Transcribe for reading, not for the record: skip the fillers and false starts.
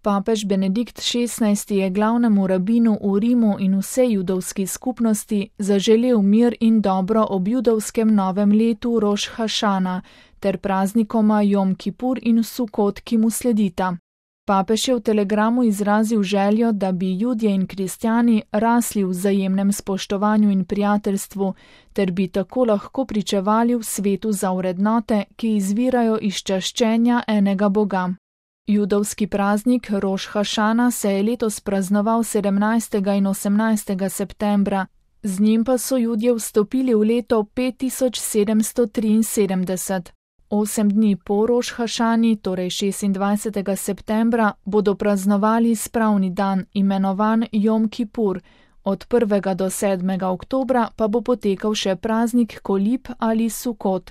Papež Benedikt XVI je glavnemu rabinu v Rimu in vsej judovski skupnosti zaželel mir in dobro ob judovskem novem letu Roš Hašana ter praznikoma Jom Kipur in Sukot, ki mu sledita. Papež je v telegramu izrazil željo, da bi Judje in kristjani rasli v vzajemnem spoštovanju in prijateljstvu, ter bi tako lahko pričevali v svetu za vrednote, ki izvirajo iz čaščenja enega Boga. Judovski praznik Roš Hašana se je letos praznoval 17. in 18. septembra, z njim pa so Judje vstopili v leto 5773. 8 dni po Roš Hašani, torej 26. septembra, bodo praznovali spravni dan, imenovan Jom Kipur, od 1. do 7. oktobra pa bo potekal še praznik Kolib ali Sukot.